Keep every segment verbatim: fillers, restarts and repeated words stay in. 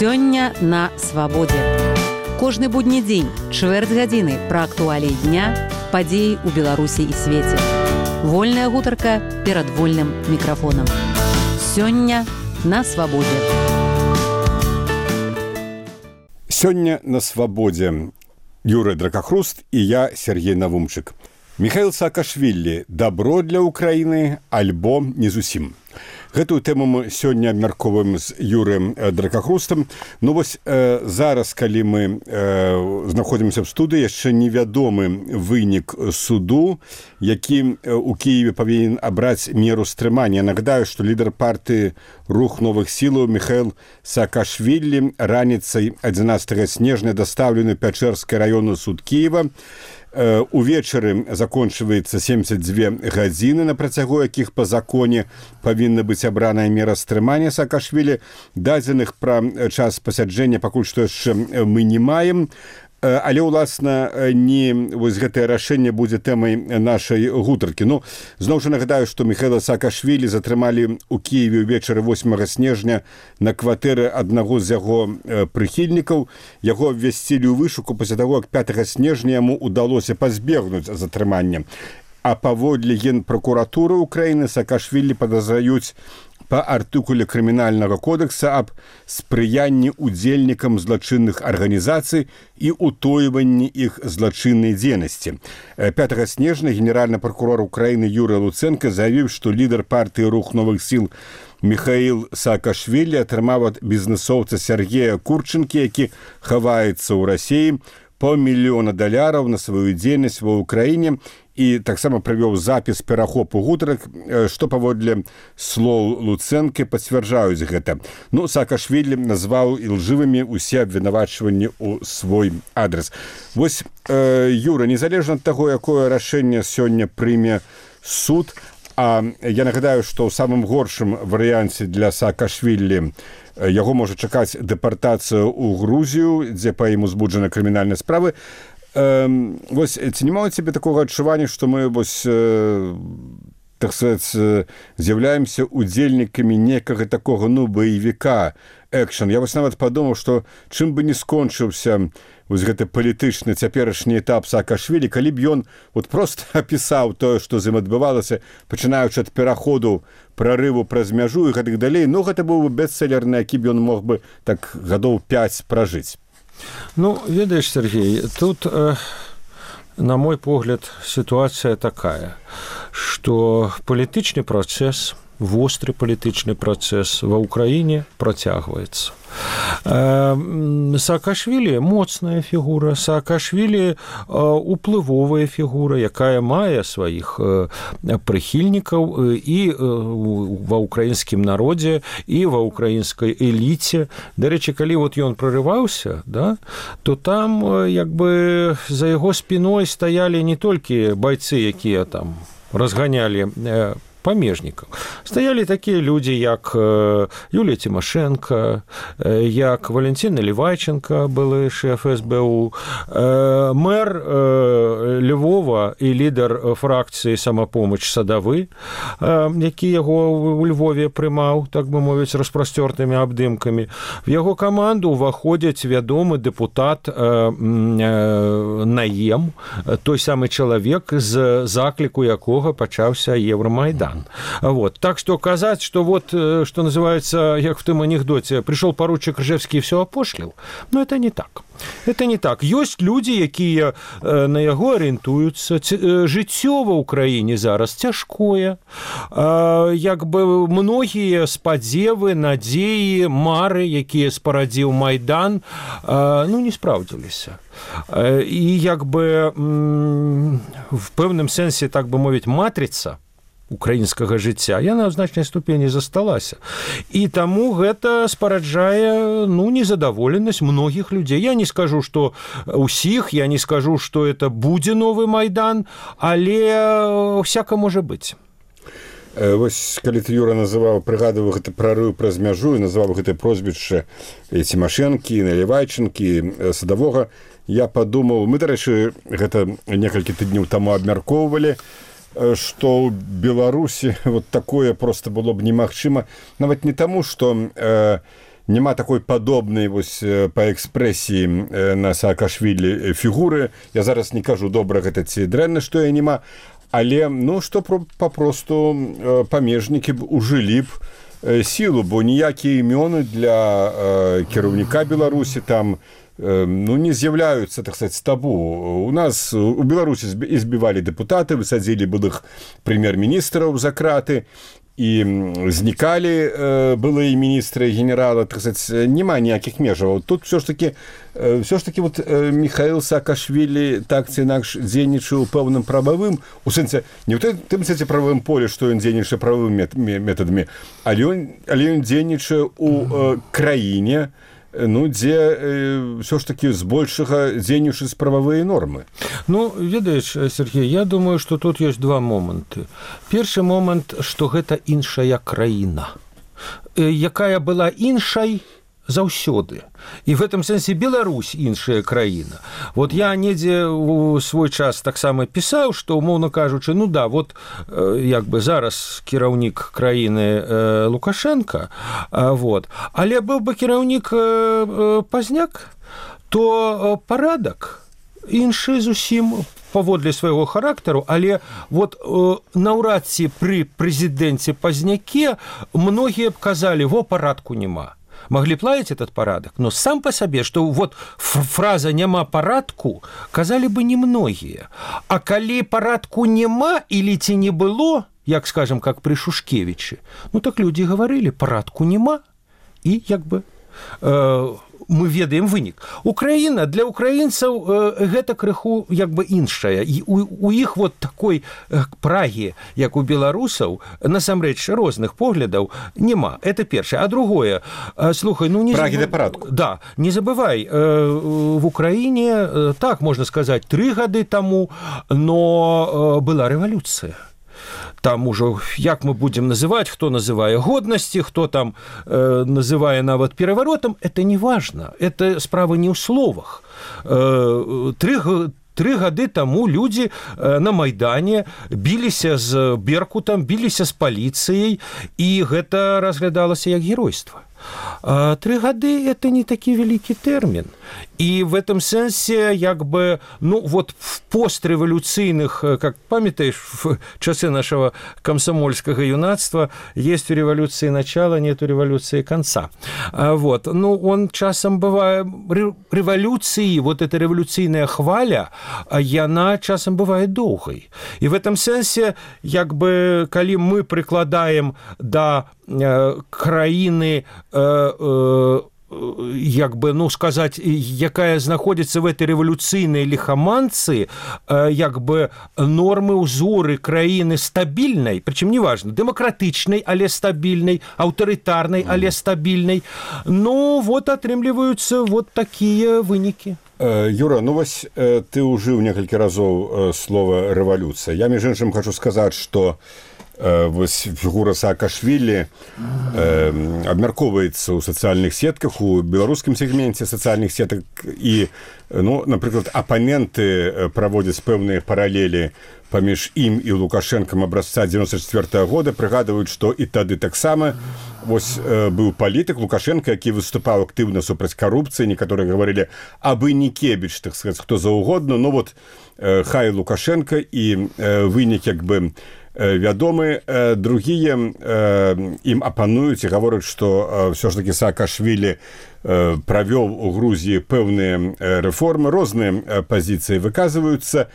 Сёння на свабодзе. Кожны будні дзень, чвэрць гадзіны пра актуаліі дня, падзеі ў Беларусі і свеце. Вольная гутарка перад вольным мікрафонам. Сёння на свабодзе. Сёння на свабодзе. Юрый Дракахруст і я, Сергей Навумчык. Михаил Саакашвілі «Дабро для Украіны» альбо не зусім. Гэтую тэму мы сёння абмяркоўваем з Юрыем Дракахрустам. Ну вось э, зараз, калі мы э, знаходзімся ў студыі, яшчэ невядомы вынік суду, які у Кіеве павінен абраць меру стрымання. Нагадаю, што лідар партыі «Рух новых сілаў» Михаил Саакашвілі раніцай адзінаццатага снежня дастаўлены Пячэрскі раённы суд Кіева. Увечары закончваецца семьдесят две гадзіны, на працягу якіх па законе павінна быць абраная мера стрымання Саакашвілі. Дадзеных пра час пасяджэння пакуль што яшчэ мы не маем. Але, уласна, не вось гэтае рашэнне будзе тэмай нашай гутаркі. Ну, зноў жа нагадаю, што Михаила Саакашвілі затрымалі ў Кіеве ўвечары восьмага снежня на кватэры аднаго з яго прыхільнікаў. Яго абвясцілі ў вышуку пасля таго, як пятага снежня яму ўдалося пазбегнуць затрымання. А паводле Генпракуратуры Украіны Саакашвілі падазраюць па артыкуле крымінальнага кодекса аб спрыянні удзельнікам злачынных арганізацый і утойванні іх злачыннай дзейнасці. пятага снежня генеральны прокурор Украіны Юрий Луценко заявіў, што лідар партыі «Рух новых сіл» Михаил Саакашвілі атрымаў ад бізнесоўца Сергея Курченкі, які хаваецца ў Расіі, па мільёна даляраў на сваю дзейнасць ва Ўкраіне, і таксама правёў запіс перахопу гутарак, што паводле слоў Луцэнкі пацвярджаюць гэта. Ну, Саакашвілі назваў ілжывымі ўсе абвінавачванні ў свой адрес. Вось, э, Юра, незалежна ад таго, якое рашэнне сёння прыме суд, а я нагадаю, што ў самым горшым варыянце для Саакашвілі яго можа чакаць дэпартацыя ў Грузію, дзе па ім узбуджаны крымінальныя справы. Э, вось, ці няма ў цябе такога адчування, што мы вось, э, так сказаць, з'яўляемся удзельнікамі некага такога, ну, баевіка, экшн. Я вось нават падумаў, што чым бы не скончыўся вось гэты палітычны цяперашні этап Саакашвілі, калі б ён вот просто апісаў тое, што з ім адбывалася, пачынаючы ад пераходу, прарыву праз мяжу і гэтак далей, ну, гэта быў бы бестселлер, на які б ён мог бы так гадоў пяць пражыць. Ну, ведаеш, Сергей, тут, э, на мой погляд, ситуация такая, что палітычны працэс, востры палітычны працэс ва Ўкраіне працягваецца. Саакашвілі моцная фігура, Саакашвілі уплывовая фігура, якая мае сваіх прыхільнікаў і ва ўкраінскім народзе, і ва ўкраінскай эліце. Дарэчы, калі вот ён прарываўся, да, то там як бы за яго спіной стаялі не толькі байцы, якія там разганялі памежнікаў. Стаялі такія людзі, як Юлія Тимошенко, як Валентин Наливайченко, былы шэф эс бэ у, мэр Львова і лідар фракцыі «Самапомач» Садавы, які яго ў Львове прымаў, так бы мовіць, распрасцёртымі абдымкамі. В яго каманду ўваходзяць вядомы дэпутат Наем, той самы чалавек, з закліку якога пачаўся Евромайдан. Вот. Так что казаць, что вот, что называется, як в том анекдоте, пришел поручик Ржевский и все опошлил, но это не так. Это не так. Ёсць людзі, якія на яго арыентуюцца. Жыццё ва ўкраіне зараз цяжкое. Як бы многія спадзевы, надзеі, мары, якія спарадзіў Майдан, ну, не спраўдзіліся. І як бы в пэўным сэнсе, так бы мовіць, матрыца украінскага жыцця, яна ў значнай ступені засталася. І таму гэта спараджае, ну, незадаволенасць многіх людзей. Я не скажу, што ўсіх, я не скажу, што это будзе новы Майдан, але всяка можа быць. Вось, калі ты, Юра, называў, прыгадываў гэты прарыў праз мяжу і называў гэтае прозвішча Тимошенкі, Наливайченкі, Садавога, я падумаў, мы, дарэчы, гэта некалькі тыдняў таму абмяркоўвалі, што ў Беларусі вот такое просто было б немагчыма, нават не таму, што э, няма такой падобнай вось па экспрэсіі на Саакашвілі фігуры. Я зараз не кажу добра гэта ці дрэнна, што я няма, але ну што папросту памежнікі б ужылі б сілу, бо ніякія імёны для кіраўніка Беларусі там ну, не з'яўляюцца, так сказать, табу. У нас у Беларусі збівалі дэпутаты, высадзілі былых прэм'ер-міністраў за краты, і знікалі э, былыя міністры, генералы, так сказать, няма ніякіх межаў. Тут все ж таки, э, все ж таки вот, э, Михаил Саакашвілі так ці інакш дзейнічаў пэўным прававым, у сэнсе, не ў тым сэнсе прававым поле, што ён дзейнічае прававымі метадамі, але ён, але ён дзейнічае у э, краіне, ну, дзе э, ўсё ж такі збольшага дзейнічаюць прававыя нормы. Ну, ведаеш, Сергей, я думаю, што тут ёсць два моманты. Першы момант, што гэта іншая краіна, якая была іншай заўсёды. І в гэтым сэнсе Беларусь іншая краіна. Вот я недзе у свой час таксама пісаў, што, умоўна кажучы, ну да, вот як бы зараз кіраўнік краіны Лукашенко, вот, але быў бы кіраўнік Пазняк, то парадак іншы зусім паводле свайго характару, але вот наўрад ці пры прэзідэнце Пазняке многія б казалі, во, парадку няма. Могли б лаять этот парадок, но сам по себе, что вот фраза «няма парадку» казали бы немногие. А коли парадку нема или ці не было, як, скажем, как при Шушкевиче, ну так люди говорили «парадку нема», и як бы э, мы ведаем вынік. Украіна для украінцаў э, гэта крыху як бы іншая. І у, у іх вот такой э, прагі, як у беларусаў, насамрэч розных поглядаў няма. Это першае. А другое, э, слухай, ну не прагі забыв... да парадку. Да, не забывай, э, в Украіне, э, так можна сказаць, тры гады таму, но э, была рэвалюцыя. Там уже, як мы будем называть, кто называе годности, кто там э, называе нават переворотом, это не важно. Это справа не ў словах. Э, тры, тры гады таму людзі э, на Майдане біліся з Беркутам, біліся з паліцыяй, і гэта разглядалася як геройство. А тры гады – это не такі вялікі тэрмін. І в этом сэнсе, як бы, ну, вот в пострэвалюцыйных, как памятаешь, в часы нашего комсомольского юнацтва есть у революции начало, нет у революции конца. А вот, ну, он часом бывает, революции, вот эта революцыйная хваля, яна часом бывает доўгай. І в этом сэнсе, як бы, калі мы прыкладаем да э, краіны э, э, як бы, ну, сказаць, якая знаходзіцца в этой рэвалюцыйнай ліхаманцы, як бы нормы, узоры краіны стабільнай, прычым неважна, дэмакратычнай, але стабільнай, аўтарытарнай, але стабільнай, ну, вот атрымліваюцца вот такія вынікі. Юра, ну вось ты ўжыў некалькі разоў слова рэвалюцыя. Я, між іншым, хочу сказаць, што вось фігура Саакашвілі э, абмяркоўваецца ў сацыяльных сетках, у беларускім сегменце сацыяльных сетак, і, ну, напрыклад, апаненты праводзяць пэўныя паралелі паміж ім і Лукашэнкам абразца дзевяносто четвёртого года, прыгадваюць, што і тады таксама вось э, быў палітык Лукашенко, які выступаў актыўна супраць карупцыі, некаторыя гаварылі, абы не Кебіч, так сказаць, хто заўгодна, ну вот э, хай Лукашенко, і э, вынік як бы вядомы, другія ім апануюць і гавораць, што ўсё ж такі Саакашвілі правёў у Грузіі пэўныя рэформы, розныя пазіцыі выказваюцца,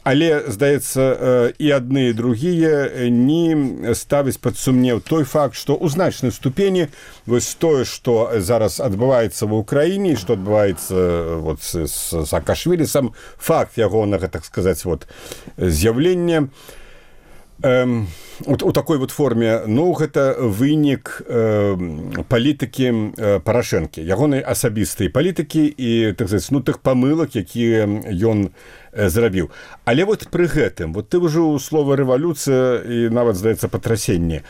але, здаецца, і адны і другія не ставяць пад сумнеў той факт, што ў значнай ступені вось тое, што зараз адбываецца ва ўкраіне, што адбываецца вот з Саакашвілі, сам факт ягонага, так сказаць, вот з'яўлення Эм, у, у такой вот форме, ну, гэта вынік э, палітыкі э, Парашэнкі, ягонай асабістай палітыкі і, так сказаць, ну, тых памылак, якія ён э, зрабіў. Але вот пры гэтым, вот ты ўжо слова рэвалюцыя і нават, здаецца, патрасенне.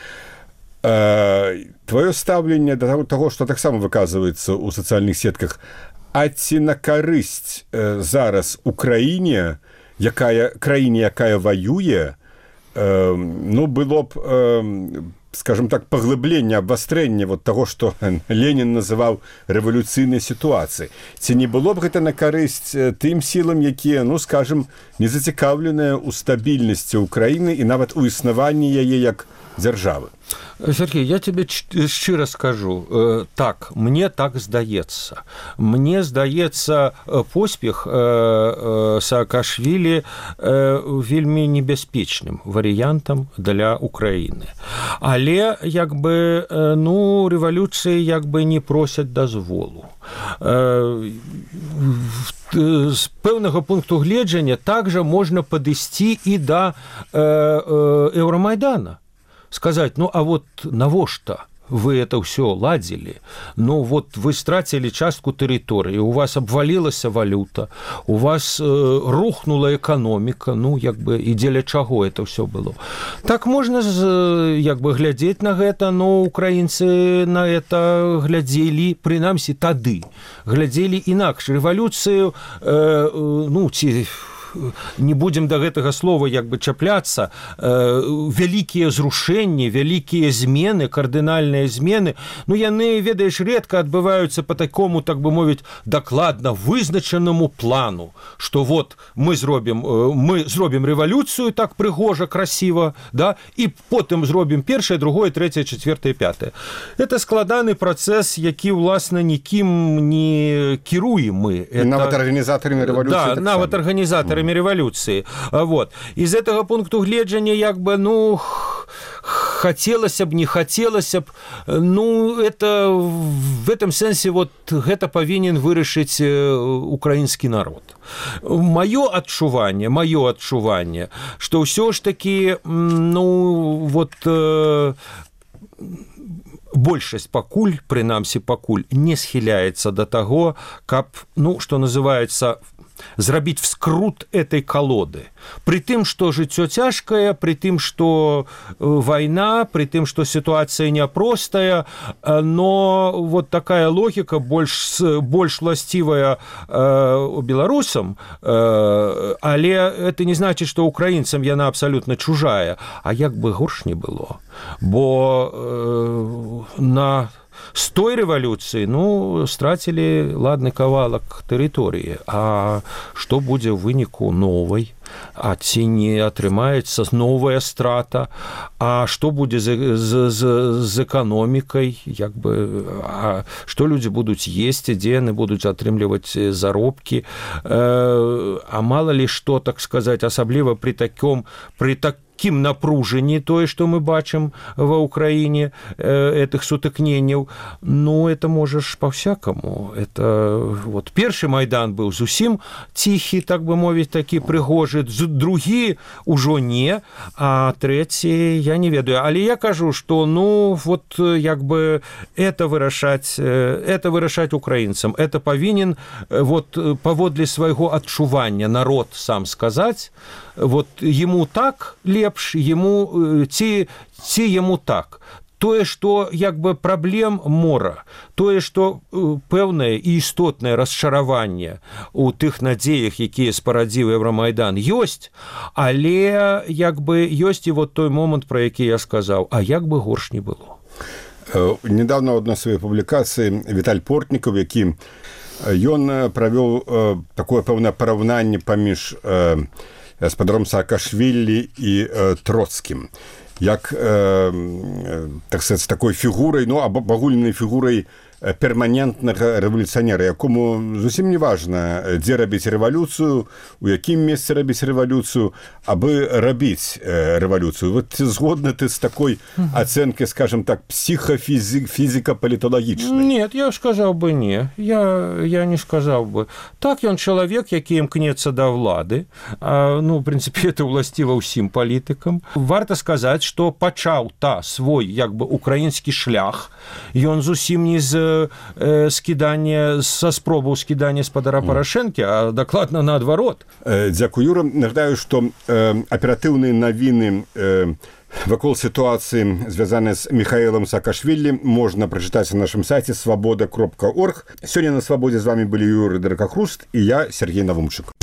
Э, твоё стаўленне да таго, што таксама выказваецца ў сацыяльных сетках, а ці на карысць э, зараз у краіне, якая, краіне, якая ваюе, ну, было б скажем так, паглыблення, абвастрэння вот таго, што Ленін называў рэвалюцыйнай сітуацыі. Ці не было б гэта на карысць тым сілам, якія, ну, скажем, не зацікаўленыя ў стабільнасці ўкраіны і нават у існаванні яе як дзяржавы? Сергей, я тебе шчыра скажу. Так, мне так здаецца. Мне здаецца, поспех Саакашвілі вельмі небяспечным варыянтам для Украіны. Але, як бы, ну, рэвалюцыі як бы не просяць дазволу. З пэўнага пункту гледжання также можна падысці і да Еўрамайдана. Сказать, ну, а вот навошта вы это все ладили? Ну, вот вы стратили частку территории, у вас обвалилась валюта, у вас э, рухнула экономика, ну, як бы, и дзеля чаго это все было. Так можно, як бы, глядеть на гэта, но украинцы на это глядели, принамсі, тады, глядели инакш. Революцию, э, ну, ці... не будем до гэтага слова як бы чапляцца, э, вялікія зрушэнні, вялікія змены, кардынальныя змены, ну, яны, ведаеш, редка адбываюцца по такому, так бы мовіць, дакладна вызначанаму плану, што вот мы зробім, э, мы зробім рэвалюцыю так прыгожа, красіва, да, і потым зробім першае, другое, трэцяе, чацвёртае, пятае. Это складаны працэс, які, уласна, нікім не кіруем мы. Это... Нават арганізатарамі рэвалюцыі. Да, нават арганізатарамі революции. Вот. Из этого пункту гледжання, як бы, ну, хотелось б, не хотелось б, ну, это в этом сенсе вот гэта павінен вырашыць украінскі народ. Маё адчуванне, маё адчуванне, што ўсё ж таки, ну, вот э, большасць пакуль, прынамсі пакуль, не схіляецца да таго, каб, ну, што называецца, зрабіць вскрут этой колоды. При тым, што жыццё цяжкае, при тым, што вайна, при тым, што сітуацыя няпростая, но вот такая логіка больш, больш власцівая э, беларусам, э, але это не значит, што украінцам яна абсалютна чужая, а як бы горш не было. Бо э, на с той рэвалюцыі, ну, страцілі ладны кавалак тэрыторыі. А што будзе ў выніку новай? А ці не атрымаецца новая страта? А што будзе з, з, з, з эканомікай? Як бы, а што людзі будуць есці, дзе яны будуць атрымліваць заробкі? Э, а мала ли што, так сказаць, асабліва пры таком, пры таком таким напруженні тое, што мы бачым ва Украіне, э, этих сутыкненняў, ну, это можаш па-всякаму. Это вот першы Майдан быў зусім ціхі, так бы мовіць, такі прыгожы, другі ўжо не, а трэці я не ведаю. Але я кажу, што, ну, вот, як бы, это вырашаць, это вырашаць украінцам. Это павінен, вот, паводле свайго адчування народ сам сказаць, вот, ему так лепш, ему, ці, ці ему так. Тое, што, як бы, праблем мора, тое, што пэўнае і істотнае расчараванне у тых надзеях, якія спарадзіў Еўрамайдан, ёсць, але, як бы, ёсць і вот той момант, пра які я сказаў, а як бы горш не было. Недавно ў адной сваёй публікацыі Віталь Портнікаў, які ён правёў такое пэўнае параўнанне паміж гаспадаром Саакашвілі і э, Троцкім, як, э, так сказать, такой фігурай, ну, або агульнай фігурай перманентнага рэвалюцыянера, якому зусім не важна, дзе рабіць рэвалюцыю, у якім месцы рабіць рэвалюцыю, абы рабіць э, рэвалюцыю. Вот згодны ты з такой ацэнкай, скажем так, псіхафізіка-паліталагічнай? Нет, я сказаў бы не. Я, я не сказаў бы. Так, ён чалавек, які імкнецца да ўлады. А, ну, в прынцыпе, это ўласціва ўсім палітыкам. Варта сказаць, што пачаў та свой, як бы, украінскі шлях. Ён зусім не з скідання, са спробаў скідання спадара Парашэнкі, а дакладна наадварот. Дзякуй, Юра. Нагадаю, што аператыўныя навіны вакол сітуацыі, звязаныя з Міхаілам Саакашвілі, можна прачытаць на нашым сайце свабода кропка орг. Сёння на Свабодзе з вамі былі Юрый Дракахруст і я, Сергей Навумчык.